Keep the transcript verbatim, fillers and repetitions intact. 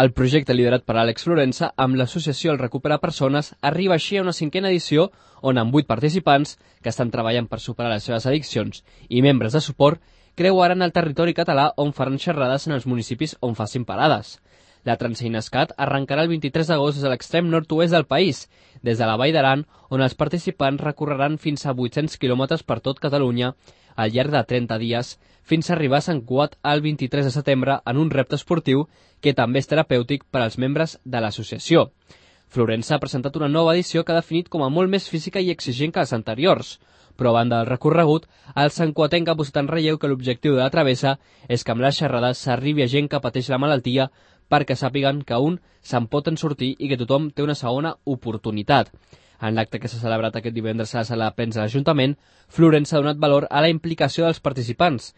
El projecte liderat per Àlex Florensa amb l'associació El Recupera Persones arriba així a una cinquena edició on amb vuit participants que estan treballant per superar les seves addiccions i membres de suport creuaran el territori català on faran xerrades en els municipis on facin parades. La Transeinescat arrencarà el vint-i-tres d'agost des de l'extrem nord-oest del país, des de la Vall d'Aran, on els participants recorreran fins a vuit-cents quilòmetres per tot Catalunya al llarg de trenta dies, fins a arribar a Sant Cugat el vint-i-tres de setembre en un repte esportiu que també és terapèutic per als membres de l'associació. Florensa ha presentat una nova edició que ha definit com a molt més física i exigent que les anteriors, però a banda del recorregut, el santcuatenc ha posat en relleu que l'objectiu de la travessa és que amb les xerrades s'arribi a gent que pateix la malaltia perquè sàpiguen que un se'n pot en sortir i que tothom té una segona oportunitat. En l'acte que s'ha celebrat aquest divendres a la sala de plens de l'Ajuntament, Florensa ha donat valor a la implicació dels participants